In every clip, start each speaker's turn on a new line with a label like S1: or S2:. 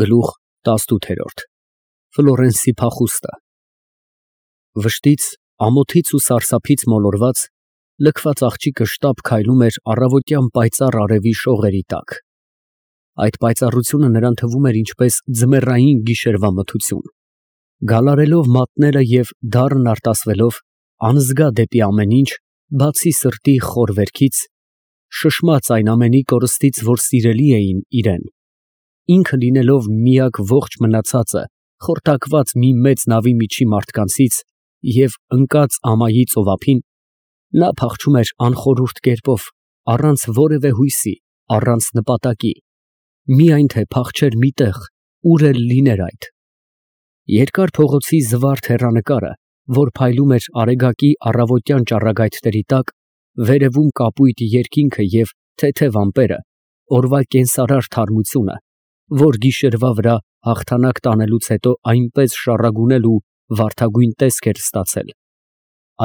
S1: Գլուխ 18 Ֆլորենսի փախուստը Վշտից, ամոթից ու սարսափից մոլորված, լքված աղջիկը շտապ քայլում էր առավոտյան պայծառ արևի շողերի տակ։ Այդ պայծառությունը նրան թվում էր ինչպես ձմեռային գիշերվա մթություն։ Գալարելով մատները և դառն արտասվելով, անզգա դեպի ամեն ինչ, բացի սրտի խոր վերքից, շշմած այն ամենի կորստից, որ սիրելի էին իրեն, ինքը լինելով միակ ողջ մնացածը, խորտակված մի մեծ նավի միջի մարդկանցից և ընկած ամայի ծովափին, նա փախչում էր անխորհուրդ կերպով, առանց որևէ հույսի, առանց նպատակի, միայն թե փախչեր մի տեղ, ուր էլ լիներ այդ։ Երկար փողոցի զվարթ հեռանկարը, որ փայլում էր արեգակի առավոտյան ճառագայթների տակ, վերևում կապույտ երկինքը և թեթև ամպերը, օրվա կենսարար թարմությունը, որ գիշերվա վրա հաղթանակ տանելուց հետո այնպես շառագունել ու վարդագույն տեսք էր ստացել,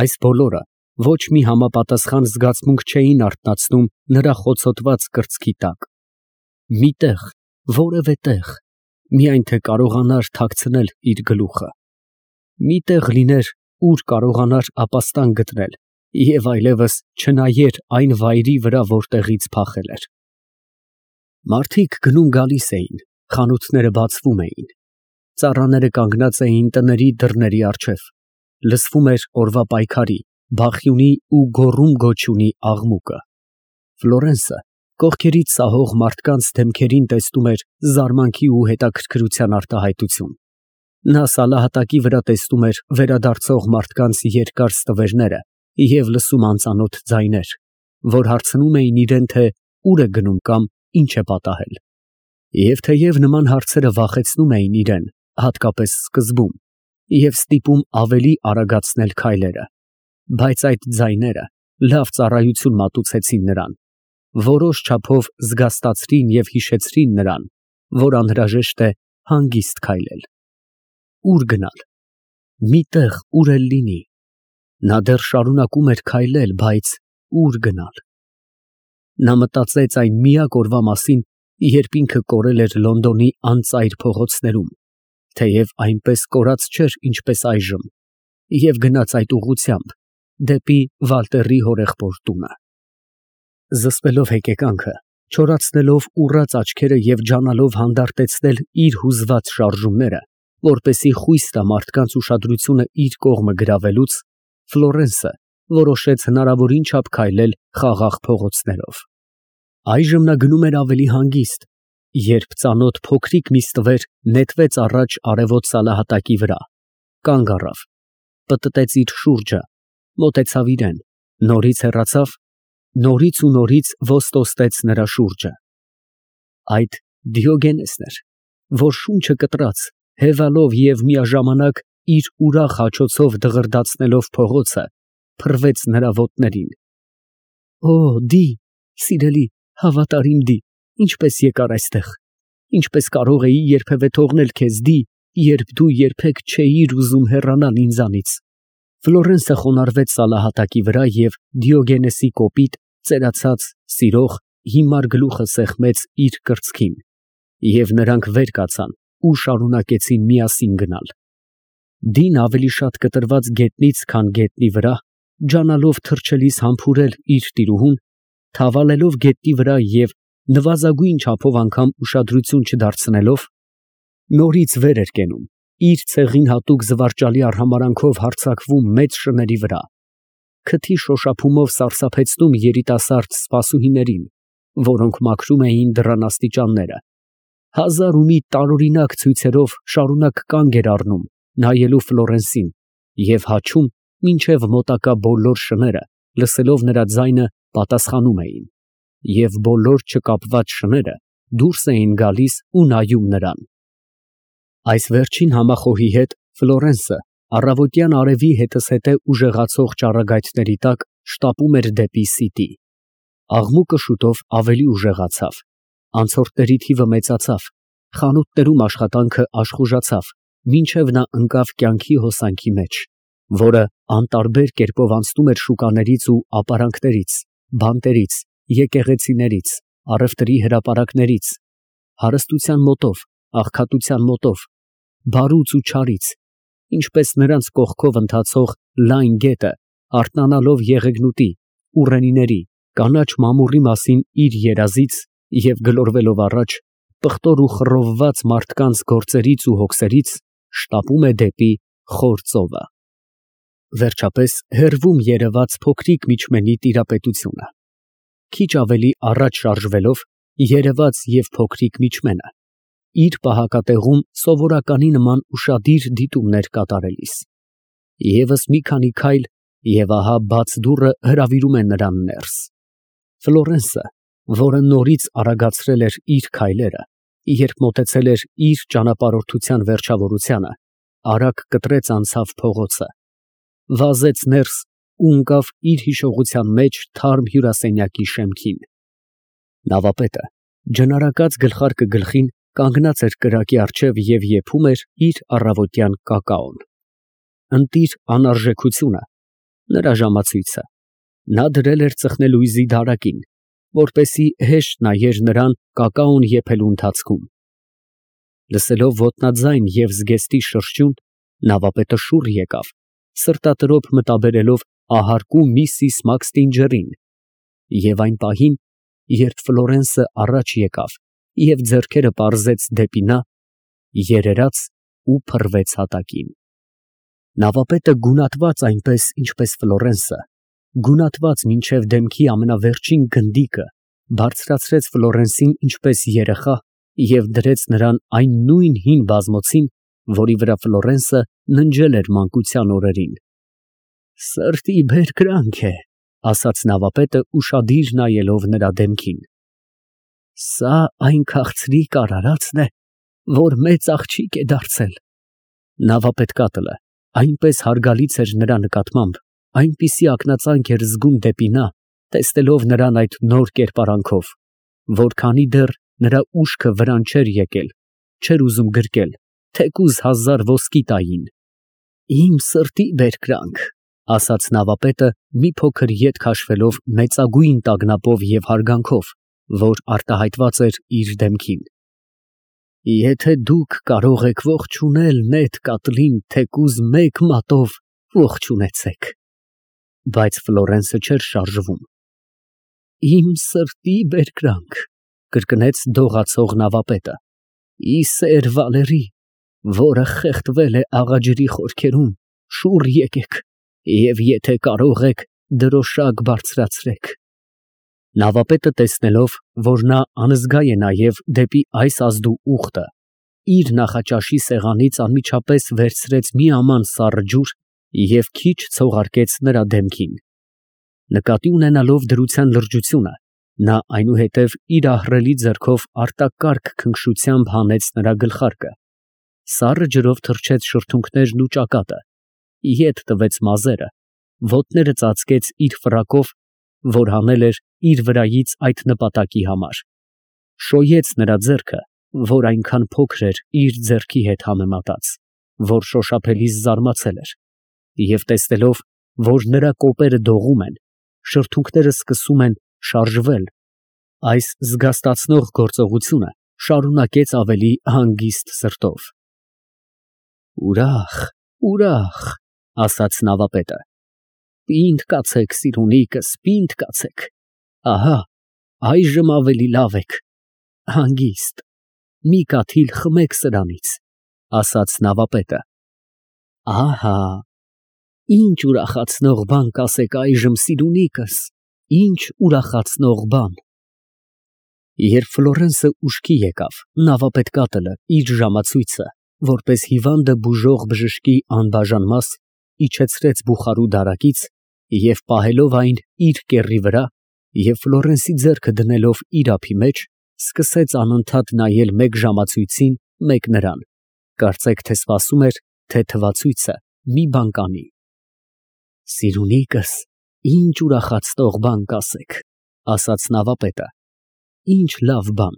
S1: այս բոլորը ոչ մի համապատասխան զգացմունք չէին արթնացնում նրա խոցոտված կրծքի տակ։ Մի տեղ, որևէ տեղ, միայն թե կարողանար թաքցնել իր գլուխը։ Մի տեղ լիներ, ուր կարողանար ապաստան գտնել և այլևս չնայեր այն վայրի վրա, որտեղից փախել էր։ Մարդիկ գնում֊գալիս էին, խանութները բացվում էին, ծառաները կանգնած էին տների դռների առջև, լսվում էր օրվա պայքարի, բախյունի ու գոռում֊գոչյունի աղմուկը։ Ֆլորենսը կողքերից սահող մարդկանց դեմքերին տեսնում էր զարմանքի ու հետաքրքրության արտահայտություն։ Նա սալահատակի վրա տեսնում էր վերադարձող մարդկանց երկար ստվերները և լսում անծանոթ ձայներ, որ հարցնում էին իրեն, թե ուր է գնում կամ ինչ է պատահել։ Եվ թեև նման հարցերը վախեցնում էին իրեն, հատկապես սկզբում, և ստիպում ավելի արագացնել քայլերը, բայց այդ ձայները լավ ծառայություն մատուցեցին նրան, որոշ չափով զգաստացրին և հիշեցրին նրան, որ անհրաժեշտ է հանգիստ քայլել։ Ո՞ւր գնալ։ Մի տեղ, ուր էլ լինի։ Նա դեռ շարունակում էր քայլել, բայց ո՞ւր գնալ։ Նա մտածեց այն միակ օրվա մասին, երբ ինքը կորել էր Լոնդոնի անծայր փողոցներում, թեև այնպես կորած չէր, ինչպես այժմ, և գնաց այդ ուղղությամբ, դեպի Վալտերի հորեղբոր տունը։ Զսպելով հեկեկանքը, չորացնելով ուռած աչքերը և ջանալով հանդարտեցնել իր հուզված շարժումները, որպեսզի խույս տա մարդկանց ուշադրությունը իր կողմը գրավելուց, Ֆլորենսը որոշեց հնարավորին չափ քայլել խաղաղ փողոցներով։ Այժմ նա գնում էր ավելի հանգիստ, երբ ծանոթ փոքրիկ մի ստվեր նետվեց առաջ արևոտ սալահատակի վրա, կանգ առավ, պտտեց իր շուրջը, մոտեցավ իրան, նորից հեռացավ, նորից ու նորից ոտստեց նրա շուրջը։ Այդ Դիոգենեսն էր, որ շունչը կտրած, հևալով և միաժամանակ իր ուրախ հաչոցով դղրդացնելով փողոցը, փռվեց նրա ոտներին։ Օ, Դի, սիրելի, հավատարիմ Դի, ինչպես եկար այստեղ, ինչպես կարող էի երբևէ թողնել քեզ, Դի, երբ դու երբեք չէիր ուզում հեռանալ ինձանից։ Ֆլորենսը խոնարհվեց սալահատակի վրա և Դիոգենեսի կոպիտ, ծերացած, սիրող, հիմար գլուխը սեղմեց իր կրծքին, և նրանք վեր կացան ու շարունակեցին միասին գնալ։ Դին ավելի շատ կտրված գետնից, քան գետնի վրա, ջանալով թռչելիս համբուրել իր տիրուհուն, թավալելով գետնի վրա և նվազագույն չափով անգամ ուշադրություն չդարձնելով, նորից վեր էր կենում, իր ցեղին հատուկ զվարճալի արհամարհանքով հարձակվում մեծ շների վրա, քթի շոշափումով սարսափեցնում երիտասարդ սպասուհիներին, որոնք մաքրում էին դռան աստիճանները, հազար ու մի տարօրինակ ցույցերով շարունակ կանգ էր առնում, նայելու Ֆլորենսին և հաչում, մինչև մոտակա բոլոր շները, լսելով նրա ձայնը, պատասխանում էին, և բոլոր չկապված շները դուրս էին գալիս ու նայում նրան։ Այս վերջին համախոհի հետ Ֆլորենսը առավոտյան արևի հետզհետե ուժեղացող ճառագայթների տակ շտապում էր դեպի Սիտի։ Աղմուկը շուտով ավելի ուժեղացավ, անցորդների թիվը մեծացավ, խանութներում աշխատանքը աշխուժացավ, մինչև նա ընկավ կյանքի հոսանքի մեջ, որը անտարբեր կերպով անցնում էր շուկաներից ու ապարանքներից, բանտերից, եկեղեցիներից, առևտրի հրապարակներից, հարստության մոտով, աղքատության մոտով, բարուց ու չարից, ինչպես նրանց կողքով ընթացող լայն գետը, արթնանալով եղեգնուտի, ուռենիների, կանաչ մամուռի մասին իր երազից և գլորվելով առաջ, պղտոր ու խռովված մարդկանց գործերից ու հոգսերից, շտապում է դեպի խոր ծովը։ Վերջապես հեռվում երևաց փոքրիկ միջմենի տիրապետությունը։ Քիչ ավելի առաջ շարժվելով, երևաց և փոքրիկ միջմենը, իր պահակատեղում սովորականի նման ուշադիր դիտումներ կատարելիս։ Եվս մի քանի քայլ, և ահա բաց դուռը հրավիրում է նրան ներս։ Ֆլորենսը, որը նորից արագացրել էր իր քայլերը, երբ մոտեցել էր իր ճանապարհորդության վերջավորությանը, արագ կտրեց անցավ փողոցը, վազեց ներս ու ընկավ իր հիշողության մեջ թարմ հյուրասենյակի շեմքին։ Նավապետը, ջնարակած գլխարկը գլխին, կանգնած էր կրակի առջև և եփում էր իր առավոտյան կակաոն։ Ընտիր անարժեքությունը, նրա ժամացույցը, նա դրել էր ծխնելույզի դարակին, որպեսզի հեշտ նայեր նրան կակաոն եփելու ընթացքում։ Լսելով ոտնաձայն և զգեստի շրշյուն, նավապետը շուռ եկավ, սրտատրոփ մտաբերելով ահարկու միսիս Մաքսթինջերին, և այն պահին, երբ Ֆլորենսը առաջ եկավ և ձեռքերը պարզեց դեպի նա, երերաց ու փռվեց հատակին։ Նավապետը գունատված այնպես, ինչպես Ֆլորենսը, գունատված մինչև դեմքի ամենավերջին գնդիկը, բարձրացրեց Ֆլորենսին ինչպես երեխա և դրեց նրան այն նույն հին բազմոցին, որի վրա Ֆլորենսը ննջել էր մանկության օրերին։ «Սրտի բերկրանք է», ֊ ասաց նավապետը ուշադիր նայելով նրա դեմքին։ «Սա այն քաղցրիկ արարածն է, որ մեծ աղջիկ է դարձել»։ Նավապետկատլը այնպես հարգալից էր նրա նկատմամբ, այնպիսի ակնածանք էր զգում դեպի նա, տեսնելով նրան այդ նոր կերպարանքով, որ քանի դեռ նրա ուշքը վրան չէր եկել, չէր ուզում գրկել, թեկուզ 1000 ոսկի տային։ «Իմ սրտի բերկրանք», ֊ ասաց նավապետը մի փոքր ետ քաշվելով մեծագույն տագնապով և հարգանքով, որ արտահայտված էր իր դեմքին։ «Եթե դուք կարող եք ողջունել նետկատլին թեկուզ մեկ մատով, ողջունեցեք»։ Բայց Ֆլորենսը չէր շարժվում։ «Իմ սրտի բերկրանք», ֊ կրկնեց դողացող նավապետը, «ի սեր Վալերի, որը խեղդվել է աղաջրի խորքերում, շուռ եկեք և եթե կարող եք, դրոշակ բարձրացրեք»։ Նավապետը տեսնելով, որ նա անզգա է նայև դեպի այս ազդու ուխտը, իր նախաճաշի սեղանից անմիջապես վերցրեց մի աման սառը ջուր և քիչ ցողարկեց նրա դեմքին։ Նկատի ունենալով դրության լրջությունը, նա այնուհետև իր ահռելի ձեռքով արտակարգ քնքշությամբ հանեց նրա գլխարկը, սառը ջրով թրջեց շրթունքներն ու ճակատը, ետ տվեց մազերը, ոտները ծածկեց իր ֆրակով, որ հանել էր իր վրայից այդ նպատակի համար, շոյեց նրա ձեռքը, որ այնքան փոքր էր իր ձեռքի հետ համեմատած, որ շոշափելիս զարմացել էր, և տեսնելով, որ նրա կոպերը դողում են, շրթունքները սկսում են շարժվել, այս զգաստացնող գործողությունը շարունակեց ավելի հանգիստ սրտով։ «Ուրախ, ուրախ», ֊ ասաց նավապետը, «պինդ կացեք, սիրունիկս, պինդ կացեք, ահա այժմ ավելի լավ եք, հանգիստ, մի կաթիլ խմեք սրանից», ֊ ասաց նավապետը։ «Ահա, ինչ ուրախացնող բան կասեք այժմ, սիրունիկս, ինչ ուրախացնող բան»։ Երբ Ֆլորենսը ուշքի եկավ, նավապետկատլը իր ժամացույցը, որպես հիվանդը բուժող բժշկի անբաժան մաս, իջեցրեց բուխարու դարակից և պահելով այն իր կեռի վրա և Ֆլորենսի ձեռքը դնելով իր ափի մեջ, սկսեց անընդհատ նայել մեկ ժամացույցին, մեկ նրան, կարծեք թե սպասում էր, թե թվացույցը մի բան կանի։ «Սիրունիկս, ինչ ուրախացնող բան կասեք», ֊ ասաց նավապետը։ «Ինչ լավ բան։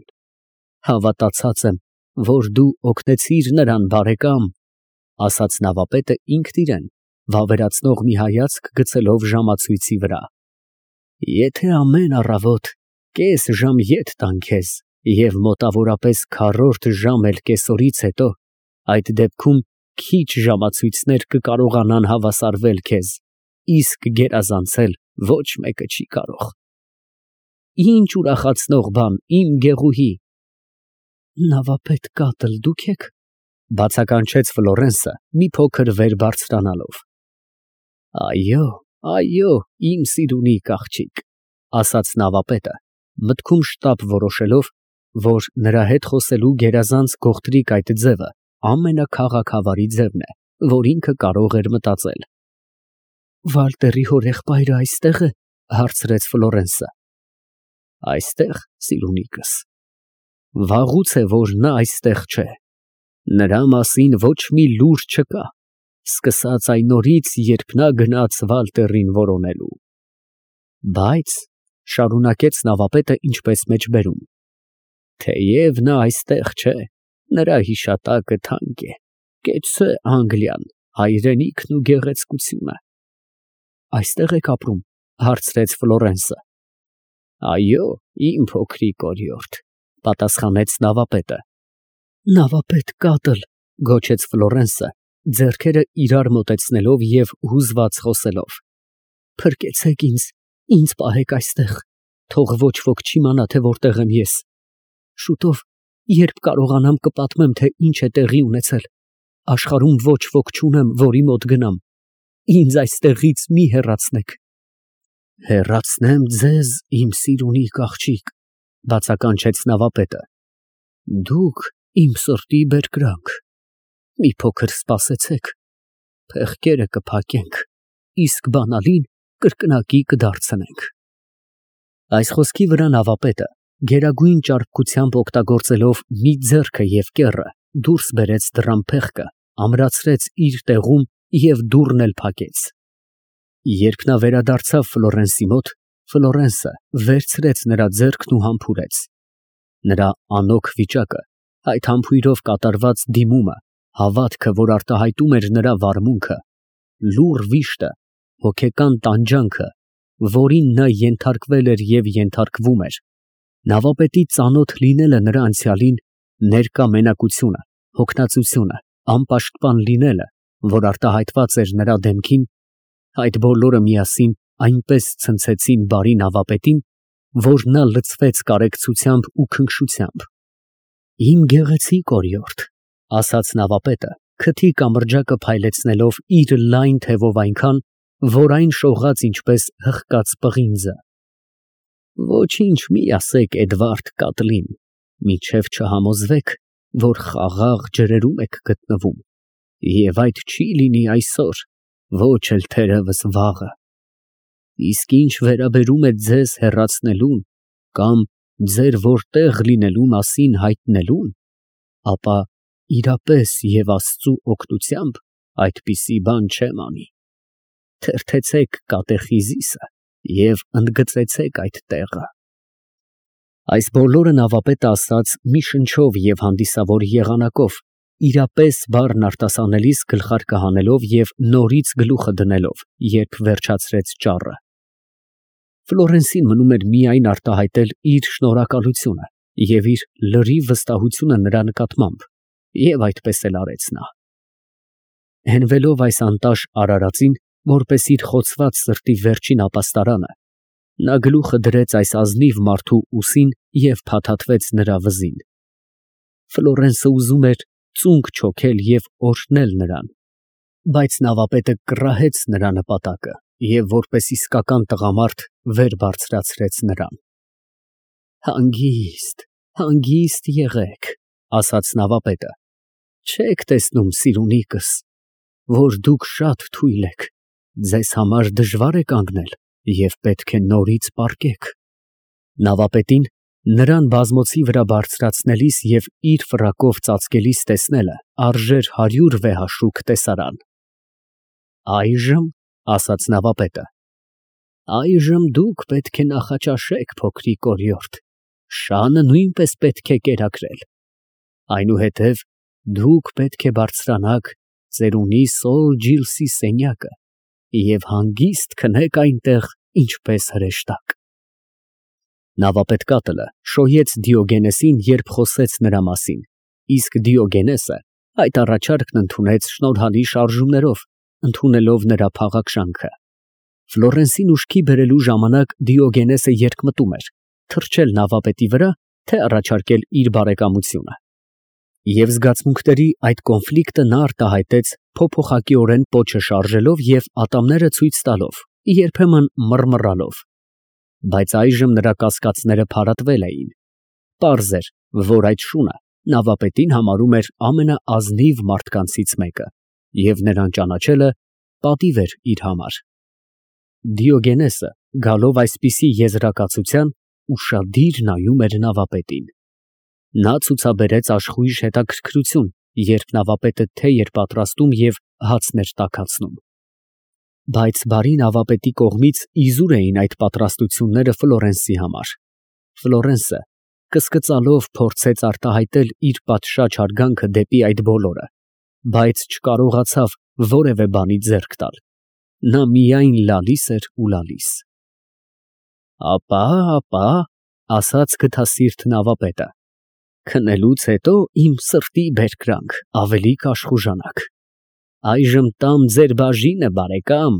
S1: Հավատացած եմ, որ դու օգնեցիր նրան, բարեկամ», ֊ ասաց նավապետը ինքն իրեն, վավերացնող մի հայացք գցելով ժամացույցի վրա։ «Եթե ամեն առավոտ կես ժամ ետ տան քեզ, Եվ մոտավորապես քառորդ ժամ էլ կեսօրից հետո, այդ դեպքում քիչ ժամացույցներ կկարողանան հավասարվել քեզ, իսկ գերազանցել ոչ մեկը չի կարող։ Ինչ ուրախացնող բան, իմ Գեղուհի։ Նավապետ կատլ դուք եք, բացականչեց Ֆլորենսը մի փոքր վեր բարձրանալով։ Այո, այո, իմ սիրունիկ աղջիկ, ասաց նավապետը, մտքում շտապ որոշելով, որ նրա հետ խոսելու գերազանց գողտրիկ այդ ձևը ամենաքաղաքավարի ձևն է, որ ինքը կարող էր մտածել։ Վալտերի հորեղբայրը այստեղ է, հարցրեց Ֆլորենսը։ Այստեղ, սիրունիկս։ Վաղուց է, որ նա այստեղ չէ։ Նրա մասին ոչ մի լուր չկա, սկսած այն օրից, երբ նա գնաց Վալտերին որոնելու։ Բայց, շարունակեց նավապետը ինչպես մեջբերում, թեև նա այստեղ չէ, նրա հիշատակը թանկ է, կեցցե Անգլիան, հայրենիքն ու գեղեցկությունը։ Այստեղ եք ապրում, հարցրեց Ֆլորենսը։ Այո, իմ փոքրիկ օրիորդ, պատասխանեց նավապետը։ Նավապետ կատլ, գոչեց Ֆլորենսը, ձեռքերը իրար մոտեցնելով և հուզված խոսելով։ Փրկեցեք ինձ պահեք այստեղ, թող ոչ ոք չիմանա, թե որտեղ եմ ես։ Շուտով, երբ կարողանամ կպատմեմ, թե ինչ է տեղի ունեցել, աշխարհում ոչ ոք չունեմ, որի մոտ գնամ։ Ինձ այստեղից մի հեռացնեք։ Հեռացնեմ ձեզ, իմ սիրունիկ աղջիկ, բացականչեց նավապետը։ Դուք իմ սրտի բերկրանք։ Մի փոքր սպասեցեք, փեղկերը կփակենք, իսկ բանալին կրկնակի կդարձնենք։ Այս խոսքի վրա նավապետը, գերագույն ճարպկությամբ օգտագործելով մի ձեռքը և կեռը, դուրս բերեց դռան փեղկը, ամրացրեց իր տեղում և դուռն էլ փակեց։ Երբ նա վերադարձավ Ֆլորենսի մոտ, Ֆլորենսը վերցրեց նրա ձեռքն ու համբուրեց։ Նրա անօգ վիճակը, այդ համբույրով կատարված դիմումը, հավատքը, որ արտահայտում էր նրա վարմունքը, լուռ վիշտը, հոգեկան տանջանքը, որին նա ենթարկվել էր և ենթարկվում էր, նավապետի ծանոթ լինելը նրա անցյալին, ներկա մենակությունը, հոգնածությունը, անպաշտպան լինելը, որ արտահայտված էր նրա դեմքին, այդ բոլորը միասին այնպես ցնցեցին բարի նավապետին, որ նա լցվեց կարեկցությամբ ու քնքշությամբ։ Իմ գեղեցիկ օրիորդ, ասաց նավապետը, քթի կամրջակը փայլեցնելով իր լայն թևով այնքան, որ այն շողաց ինչպես հղկած պղինձը։ Ոչինչ մի ասեք Էդվարդ կատլին, մինչև չհամոզվեք, որ խաղաղ ջրերում եք գտնվում, և այդ չի լինի այսօր, ոչ էլ թերևս վաղը։ Իսկ ինչ վերաբերում է ձեզ հեռացնելուն կամ ձեր որտեղ լինելու մասին հայտնելուն, ապա իրապես և Աստծու օգնությամբ այդպիսի բան չեմ անի։ Թերթեցեք կատեխիզիսը և ընդգծեցեք այդ տեղը։ Այս բոլորը նավապետը ասաց մի շնչով և հանդիսավոր եղանակով, իրապես բառն արտասանելիս գլխարկը հանելով և նորից գլուխը դնելով, երբ վերջացրեց ճառը։ Ֆլորենսին մնում էր միայն արտահայտել իր շնորհակալությունը և իր լրիվ վստահությունը նրա նկատմամբ, և այդպես էլ արեց նա։ Հենվելով այս անտաշ արարածին, որպես իր խոցված սրտի վերջին ապաստարանը, նա գլուխը դրեց այս ազնիվ մարդու ուսին և փաթաթվեց նրա վզին։ Ֆլորենսը ուզում էր ծունկ չոքել և օրհնել նրան, բայց նավապետը կռահեց նրա նպատակը և որպես իսկական տղամարդ վեր բարձրացրեց նրան։ Հանգիստ, հանգիստ եղեք, ասաց նավապետը, չեք տեսնում, սիրունիկս, որ դուք շատ թույլ եք, ձեզ համար դժվար է կանգնել և պետք է նորից պառկեք։ Նավապետին նրան բազմոցի վրա բարձրացնելիս և իր ֆրակով ծածկելիս տեսնելը արժեր 100 վեհաշուկ տեսարան։ Այժմ, ասաց նավապետը, այժմ դուք պետք է նախաճաշեք, փոքրիկ օրիորդ, շանը նույնպես պետք է կերակրել, այնուհետև դուք պետք է բարձրանաք ծերունի Սոր Ջիլսի սենյակը և հանգիստ քնեք այնտեղ, ինչպես հրեշտակ։ Նավապետկատլը շոյեց Դիոգենեսին, երբ խոսեց նրա մասին, իսկ Դիոգենեսը այդ առաջարկն ընդունեց շնորհալի շարժումներով, ընդունելով նրա փաղաքշանքը։ Ֆլորենսին ուշքի բերելու ժամանակ Դիոգենեսը երկմտում էր, թռչել նավապետի վրա, թե առաջարկել իր բարեկամությունը։ Եվ զգացմունքների այդ կոնֆլիկտը նա արտահայտեց փոփոխակիորեն պոչը շարժելով և ատամները ցույց տալով, երբեմն մռմռալով։ Բայց այժմ նրա կասկածները փարատվել էին։ Պարզ էր, որ այդ շունը նավապետին համարում էր ամենաազնիվ մարդկանցից մեկը, և նրան ճանաչելը պատիվ էր իր համար։ Դիոգենեսը, գալով այսպիսի եզրակացության, ուշադիր նայում էր նավապետին։ Նա ցուցաբերեց աշխույժ հետաքրքրություն, երբ նավապետը թեյ էր պատրաստում և հացն էր տաքացնում։ Բայց բարի նավապետի կողմից իզուր էին այդ պատրաստությունները Ֆլորենսի համար։ Ֆլորենսը կսկծալով փորձեց արտահայտել իր պատշաճ հարգանքը դեպի այդ բոլորը, բայց չկարողացավ որևէ բանի ձեռք տալ։ Նա միայն լալիս էր ու լալիս։ Ապա, ասաց գթասիրտ նավապետը, քնելուց հետո իմ սրտի բերկրանք, ավելի կաշխուժանաք։ Այժմ տամ ձեր բաժինը, բարեկամ,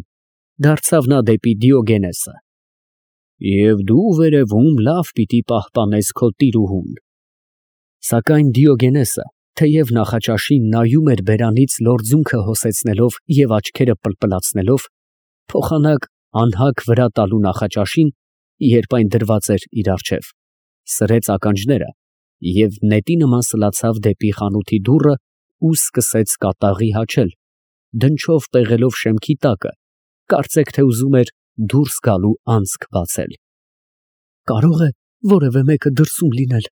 S1: դարձավ նա դեպի Դիոգենեսը։ Եվ դու վերևում լավ պիտի պահպանես քո տիրուհուն։ Սակայն Դիոգենեսը, թեև նախաճաշին նայում էր բերանից լորձունքը հոսեցնելով և աչքերը պլպլացնելով, փոխանակ անհագ վրա տալու նախաճաշին, երբ այն դրված էր իր առջև, սրեց ականջները և նետի նման սլացավ դեպի խանութի դուռը ու սկսեց կատաղի հաչել, դնչով պեղելով շեմքի տակը, կարծեք թե ուզում էր դուրս գալու անցք բացել։ Կարո՞ղ է որևէ մեկը դրսում լինել,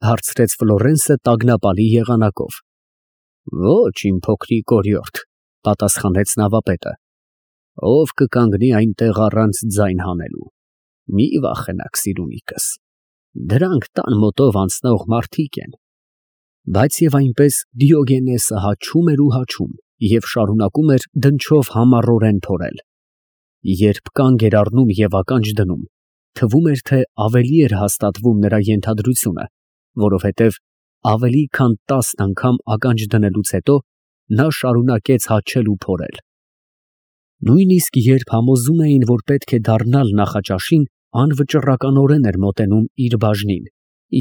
S1: հարցրեց Ֆլորենսը տագնապալի եղանակով։ Ոչ, իմ փոքրիկ օրիորդ, պատասխանեց նավապետը, ով կկանգնի այնտեղ առանց ձայն հանելու։ Մի վախենաք, սիրունիկս, դրանք տան մոտով անցնող մարդիկ են։ Բայց և այնպես Դիոգենեսը հաչում էր ու հաչում և շարունակում էր դնչով համառորեն փորել։ Երբ կանգ էր առնում և ականջ դնում, թվում էր, թե ավելի էր հաստատվում նրա ենթադրությունը, որովհետև ավելի քան 10 անգամ ականջ դնելուց հետո նա շարունակեց հաչել ու փորել։ Նույնիսկ երբ համոզում էին, որ պետք է դառնալ նախաճաշին, անվճռականորեն էր մոտենում իր բաժնին,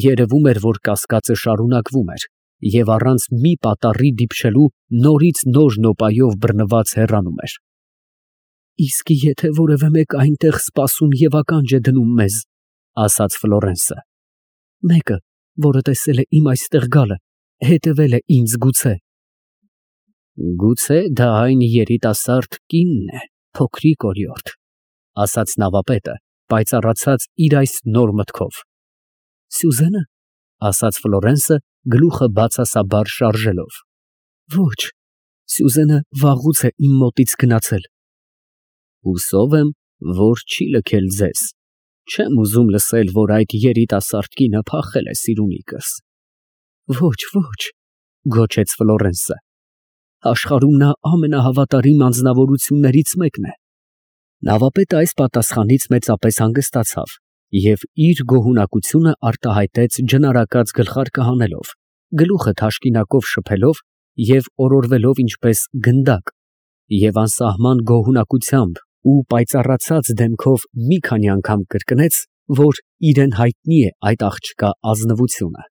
S1: երևում էր, որ կասկածը շարունակվում էր, և առանց մի պատառի դիպչելու նորից նոր նոպայով բռնված հեռանում էր։ Իսկ եթե որևէ մեկ այնտեղ սպասում և ականջ է դնում մեզ, ասաց Ֆլորենսը, մեկը, որը տեսել է իմ այստեղ գալը, հետևել է ինձ գուցե։ Գուցե դա այն երիտասարդ կինն է, փոքրիկ օրիորդ, ասաց նավապետը, պայծառացած իր այս նոր մտքով։ Սյուզենը, ասաց Ֆլորենսը, գլուխը բացասաբար շարժելով։ Ոչ, Սյուզենը վաղուց է իմ մոտից գնացել։ Հուսով եմ, որ չի լքել ձեզ։ Չեմ ուզում լսել, որ այդ երիտասարդ կինը փախել է, սիրունիկս։ Ոչ, գոչեց Ֆլորենսը։ Աշխարհում նա ամենահավատարիմ անձնավորություններից մեկն է։ Նավապետը այս պատասխանից մեծապես հանգստացավ և իր գոհունակությունը արտահայտեց ջնարակած գլխարկը հանելով, գլուխը թաշկինակով շփելով և օրորվելով ինչպես գնդակ, և անսահման գոհունակությամբ ու պայծառացած դեմքով մի քանի անգամ կրկնեց, որ իրեն հայտնի է այդ աղջկա ազնվությունը։